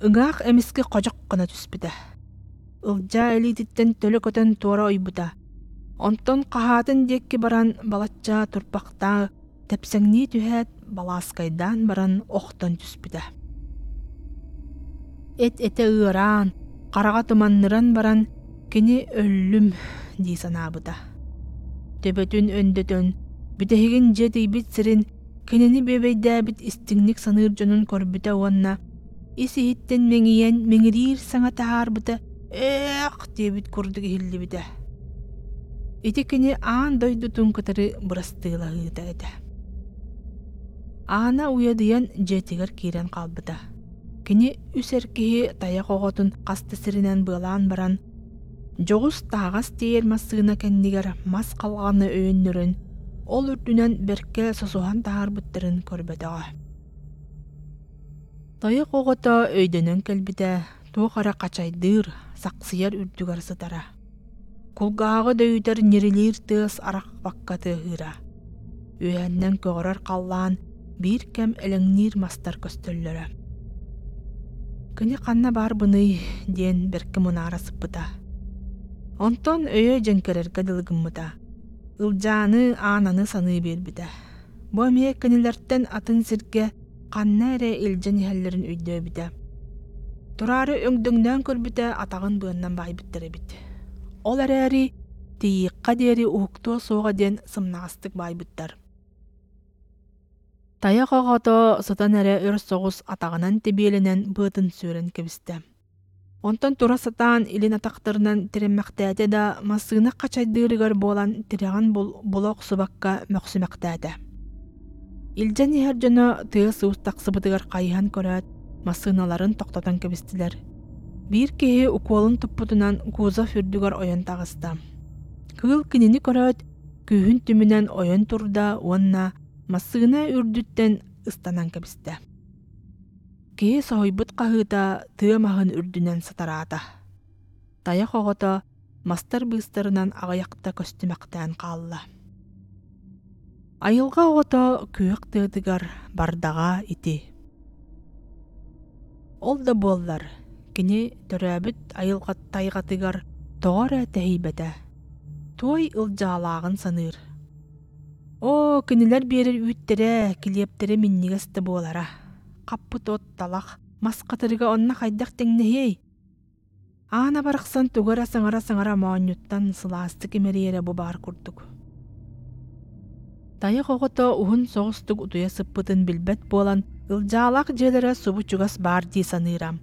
Ыҥаах эмискэ ходьох гына түспүтэ. Ылдьаа илиититтэн төлө көтөн туора ойбута. Онтон хаһаатын диэки баран балачча турбахтаа тэпсэҥнии түһээт, балааскайдаан баран охтон түспүтэ. Эт-этэ ыараан, хараҕа туманныран баран, кини өллүм дии санаабыта. Төбөтүн өндөтөн, бүтэһигин дьиэ тиийбит сирин кинини бүөбэйдээбит истиҥник саныыр дьонун көрбүтэ уонна ис-иһиттэн мэҥийэн миҥириир саҥа таһаарбыта «Ээх!» диэбит курдук иһиллибитэ. Ити кини аан дойдутун кытары бырастыылаһыыта этэ. Аана уйадыйан дьиэтигэр киирэн хаалбыта. Кини үс эр киһи тайах оҕотун хас да сиринэн быалаан баран, дьоҕус таһаҕас тиэйэр массыына кэннигэр мас халҕаны өйөннөрөн, ол үрдүнэн бэркэ сосуһан таһаарбыттарын көрбөтөҕө. Тайах оҕото өйдөнөн кэлбитэ, туох эрэ хачайдыыр, сахсыйар үрдүгэр сытара. Кулгааҕы дөйүтэр ньирилиир тыас арахпакка тыаһыыра. Үөһэннэн көҕөрөр халлаан биир кэм элэҥниир мастар көстөллөрө. Кини ханна баарбыный диэн бэркэ мунаара сыппыта. Онтон өйө дьэҥкэрэргэ дылы гыммыта. Ылдьааны, Аананы саныы биэрбитэ. Бу эмиэ кинилэртэн атын сиргэ ханна эрэ илдьэн иһэллэрин өйдөөбүтэ. Тураары өҥдөҥнөөн көрбүтэ атаҕын быаннан баайбыттар эбит. Ол эрээри тиийиэххэ диэри уһуктуо суоҕа диэн сымнаҕастык баайбыттар. Тайах оҕото сытан эрэ өр соҕус атаҕынан тэбиэлэнэн быатын сүөрэн кэбистэ. Онтон тура сатаан илин атахтарынан тирэммэхтээтэ да, массыына хачайдыырыгар буолан тирэҕин була охсубакка мөхсүмэхтээтэ. Илдьэн иһэр дьоно тыас-уус тахсыбытыгар хайыһан көрөөт, массыыналарын тохтотон кэбистилэр. Биир киһи укуолун туппутунан кузов үрдүгэр ойон таҕыста. Кыыл кинини көрөөт, күүһүн түмүнэн ойон турда уонна массыына үрдүттэн ыстанан кэбистэ. Киһи соһуйбут хаһыыта тыа маһын үрдүнэн сатараата. Тайах оҕото мастар быыстарынан аҕыйахта көстүмэхтээн хаалла. Айылҕа оҕото күөх тыатыгар бардаҕа ити. Ол да буоллар, кини төрөөбүт айылҕа тайҕатыгар тоҕо эрэ тэһийбэтэ. Туой ылдьаалааҕын саныыр. Оо, кинилэр биэрэр үүттэрэ, килиэптэрэ минньигэс да буолара. Хаппыт от, талах, мас хатырыга онно хайдах тэҥнэһиэй? Аана барахсан тугу эрэ саҥара-саҥара моонньуттан сылаастык имэрийэрэ бу баар курдук. Тайах оҕото уһун соҕустук утуйа сыппытын билбэт буолан, ылдьаалаах дьиэлэрэ субу чугас баар дии саныыра.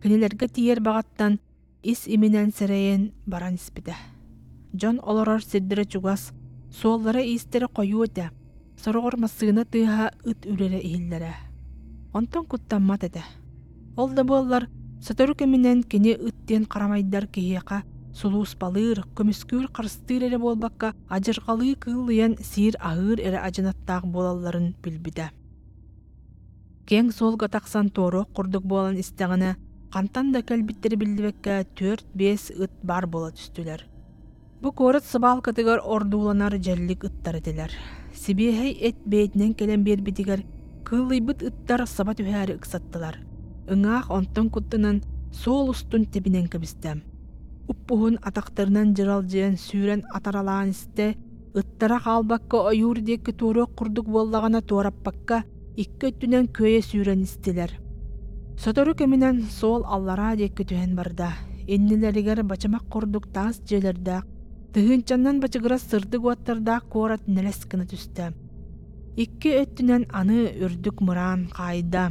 Кинилэргэ тиийэр баҕаттан ис иминэн сэрэйэн баран испитэ. Дьон олорор сирдэрэ чугас, суоллара-иистэрэ хойуу этэ, сороҕор массыына тыаһа ыт үрэрэ иһиллэрэ. Онтон куттаммат этэ. Ол да буоллар, сотору кэминэн кини ыт диэн харамайдар киһиэхэ сулууспалыыр, көмүскүүр-харыстыыр эрэ буолбакка, адьырҕалыы кыыллыйан сиир-аһыыр эрэ адьынаттаах буолалларын билбитэ. Киэҥ суолга тахсан туоруох курдук буолан истэҕинэ, хантан да кэлбиттэрэ биллибэккэ түөрт-биэс ыт баар буола түстүлэр. Бу куорат сыбаалкатыгар ордууланар дьэллик ыттар этилэр. Сибиэһэй эт бэйэтинэн кэлэн биэрбитигэр кыыллыйбыт ыттар саба түһээри ыксаттылар. Ыҥаах онтон куттанан суол устун тэбинэн кэбистэ. Уппуһун атахтарынан дьыралдьыйан сүүрэн атаралаан истэ, ыттара хаалбакка ойуур диэки туоруох курдук буоллаҕына туораппакка икки өттүнэн күөйэ сүүрэн истилэр. Сотору кэминэн суол аллараа диэки түһэн барда. Иннилэригэр бачымах курдук таас дьиэлэрдээх, тыһыынчаннан бачыгырас сырдык уоттардаах куорат нэлэс гына түстэ. Икки өттүнэн аны үрдүк мыраан хаайда.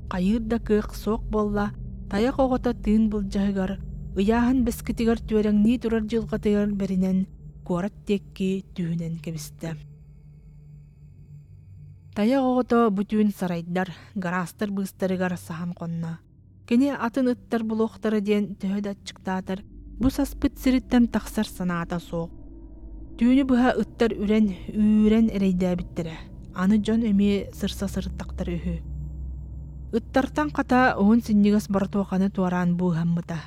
Хайыыр да кыах суох буолла, тайах оҕото тыын былдьаһыгар, ыйааһын бэскитигэр түөрэҥнии турар дьылҕатыгар бэринэн куорат диэки түһүнэн кэбистэ. Тайах оҕото бу түүн сарайдар, гараастар быыстарыгар саһан хонно. Кини атын ыттар булуохтара диэн төһө да аччыктаатар, бу саспыт сириттэн тахсар санаата суох. Түүнү быһа ыттар үрэн, үүрэн эрэйдээбиттэрэ. Аны дьон эмиэ сырса сырыттахтар үһү. Ыттартан хата уһун синньигэс боротуоханы туораан быыһаммыта.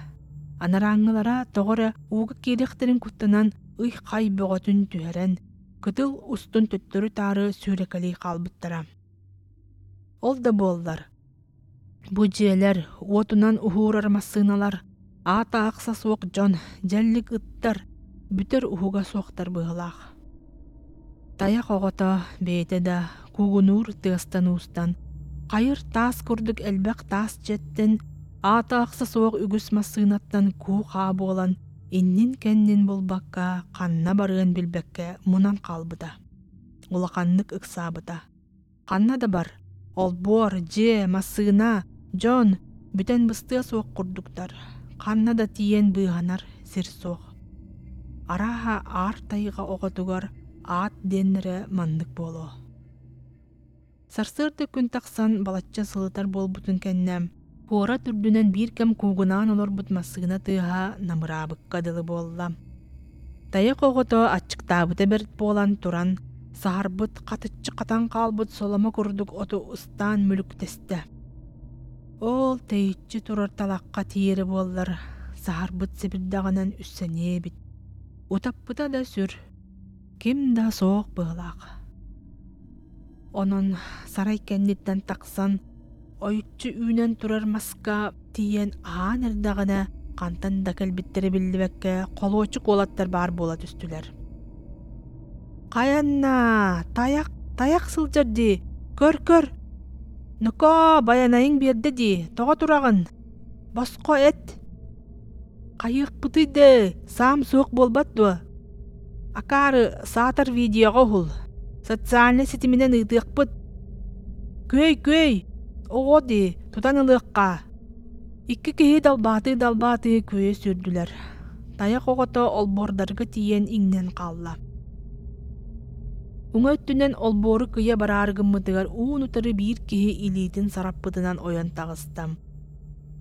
Анарааҥҥылара тоҕо эрэ ууга киириэхтэрин куттанан ый-хай бөҕөтүн түһэрэн, кытыл устун төттөрү-таары сүүрэкэлии хаалбыттара. Ол да буоллар, Бу дьиэлэр, уотунан уһуурар массыыналар, аата-ахса суох дьон, дьэллик ыттар, бүтэр уһуга суохтар быһыылаах. Тайах оҕото бэйэтэ да куугунуур тыастан-уустан, хайыр таас курдук элбэх таас дьиэттэн, аата-ахса суох үгүс массыынаттан куу-хаа буолан, иннин-кэннин булбакка, ханна барыан билбэккэ мунан хаалбыта. Улаханнык ыксаабыта. Ханна да бар, олбуор, дьиэ, массыына, дьон бүтэн быстыа суох курдуктар, ханна да тиийэн быыһанар сир суох. Арааһа аар тайҕа оҕотугар аат диэннэрэ маннык буолуо. Сарсыарда күн тахсан балачча сылытар буолбутун кэннэ, куорат үрдүнэн биир кэм куугунаан олорбут массыына тыаһа намыраабыкка дылы буолла. Тайах оҕото аччыктаабыта бэрт буолан туран, саһарбыт, хатыччы хатан хаалбыт соломо курдук оту ыстаан мүлүктэстэ. Ол тэйиччи турар талахха тиийэрэ буоллар, саһарбыт сэбирдэҕинэн үссэниэ эбит. Утаппыта да сүр, ким да суох быһыылаах. Онон сарай кэнниттэн тахсан, ойуччу үүнэн турар маска тиийэн аһаан эрдэҕинэ, хантан да кэлбиттэрэ биллибэккэ, холуочук уолаттар баар буола түстүлэр. «Хайанна, тайах, тайах сылдьар дии, көр-көр! Нокоо, байанайыҥ биэрдэ дии, тоҕо тураҕын? Босхо эт!» «Хайыахпытый да, саам суох буолбат дуо? Акаары, саатар видеоҕа уһул, социальнай ситиминэн ыытыахпыт. Күөй-күөй, оҕо дии, тутан ылыахха!» Икки киһи далбаатыы-далбаатыы күөйэ сүүрдүлэр. Тайах оҕото олбуордарга тиийэн иҥнэн хаалла. Уҥа өттүнэн олбуору кыйа бараары гыммытыгар уун-утары биир киһи илиитин сараппытынан ойон таҕыста.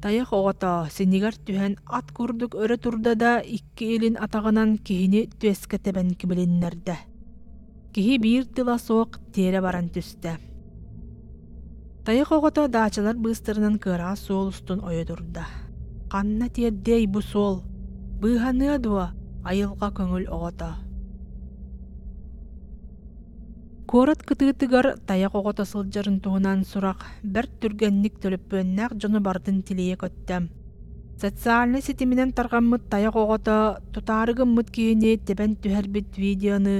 Тайах оҕото синигэр түһэн ат курдук өрө турда да икки илин атаҕынан киһини түөскэ тэбэн кибилиннэрдэ. Киһи биир тыла суох тиэрэ баран түстэ. Тайах оҕото даачалар быыстарынан кыараҕас суол устун ойо турда. Ханна тиэрдиэй бу суол? Быыһаныа дуо айылҕа көҥүл оҕото? Куорат кытыытыгар тайах оҕото сылдьарын туһунан сурах бэрт түргэнник төлөпүөннээх дьону барытын тилийэ көттө. Социальнай ситиминэн тарҕаммыт тайах оҕото тутаары гыммыт киһини тэбэн түһэрбит видеоны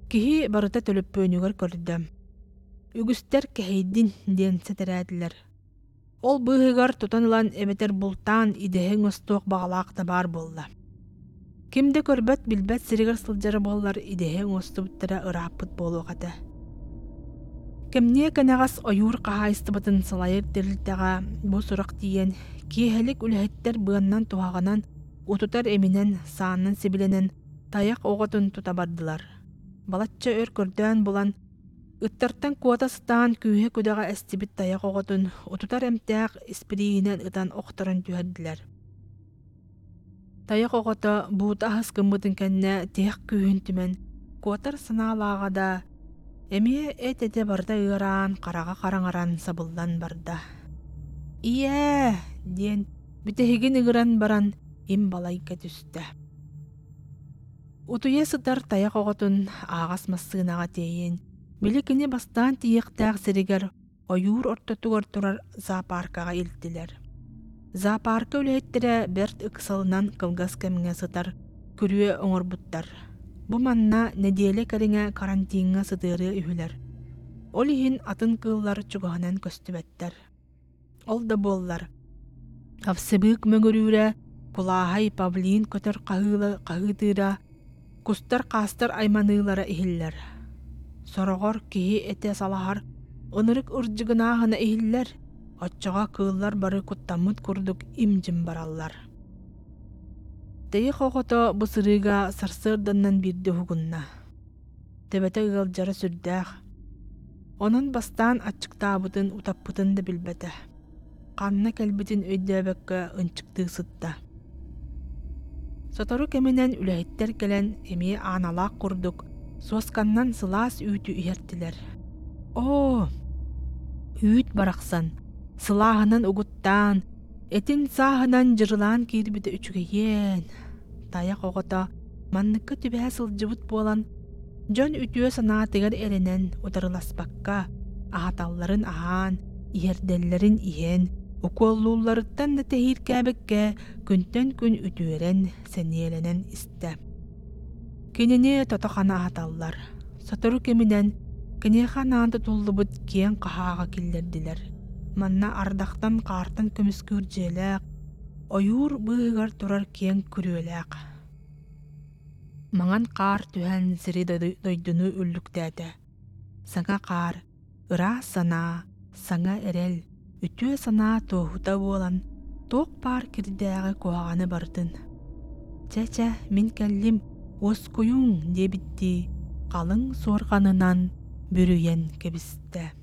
киһи барыта төлөпүөнүгэр көрдө. Үгүстэр кэһэйдин диэн сэтэрээтилэр. Ол быыһыгар тутан ылан эбэтэр бултаан идэһэ оҥостуох баҕалаах да баар буолла. Ким да көрбөт, билбэт сиригэр сылдьара буоллар идэһэ оҥостубуттара ырааппыт буолуох этэ. Кэмниэ кэнэҕэс ойуур хаһаайыстыбатын салайар тэрилтэҕэ бу сурах тиийэн, киэһэлик үлэһиттэр быаннан-туһаҕынан, утутар эминэн, саанан сибилэнэн тайах оҕотун тута бардылар. Балачча өр көрдөөн булан, Ыттартан куота сатаан күүһэ-күдэҕэ эстибит тайах оҕотун утутар эмтээх испирииһинэн ытан охторон түһэрдилэр. Тайах оҕото буута аһыс гыммытын кэннэ тиһэх күүһүн түмэн, куотар санаалааҕа да, эмиэ эт-этэ барыта ыараан, хараҕа хараҥаран сабыллан барда. «Ийээ!» диэн бүтэһигин ыҥыран баран им балайга түстэ. Утуйа сытар тайах оҕотун ааҕас массыынаҕа тиэйэн, били кини бастаан тиийиэхтээх сиригэр ойуур ортотугар турар зоопаркаҕа илтилэр. Зоопарка үлэһиттэрэ бэрт ыксалынан кылгас кэмҥэ сытар күрүө оҥорбуттар. Бу манна нэдиэлэ кэриҥэ карантиҥҥа сытыарыа үһүлэр. Ол иһин атын кыыллар чугаһынан көстүбэттэр. Ол да буоллар, овсебык мөҥүрүүрэ, кулааһай павлин көтөр хаһыытыыра, кустар-хаастар айманыылара иһиллэр. Сороҕор киһи этэ салаһар, ынырык ырдьыгынааһына иһиллэр, оччоҕо кыыллар бары куттаммыт курдук им-дьим бараллар. Тэйих оҕото бу сырыыга сарсыарданан биирдэ уһугунна. Төбөтө ыалдьара сүрдээх. Онон бастаан аччыктаабытын, утаппытын да билбэтэ. Ханна кэлбитин өйдөөбөккө ынчыктыы сытта. Сотору кэминэн үлэһиттэр кэлэн эмиэ ааналаах курдук суосканнан сылаас үүтү иһэртилэр. Оо, үүт барахсан, сылааһынан угуттаан, этин сааһынан дьырылаан киирбитэ үчүгэйиэн. Тайах оҕото манныкка түбэһэ сылдьыбыт буолан, дьон үтүө санаатыгар эрэнэн утарыласпакка, аһаталларын аһаан, иһэрдэллэрин иһэн, Укуоллуулларыттан да тэһииркээбиккэ күнтэн күн үтүөрэн, сэниэлэнэн истэ. Кинини тото-хана аһаталлар. Сотору кэминэн киниэхэ анаан тутуллубут киэҥ хаһааҕа киллэрдилэр. Манна ардахтан-хаартан көмүскүүр дьиэлээх, ойуур быыһыгар турар киэҥ күрүөлээх. Маҥан хаар түһэн сири дойдуну үллүктээтэ. Саҥа хаар, ыраас санаа, саҥа эрэл, үтүө санаа туоһута буолан, туох баар кирдээҕи куһаҕаны барытын. Чэ-чэ, мин кэллим, уоскуйуҥ диэбиттии, халыҥ суорҕанынан бүрүйэн кэбистэ.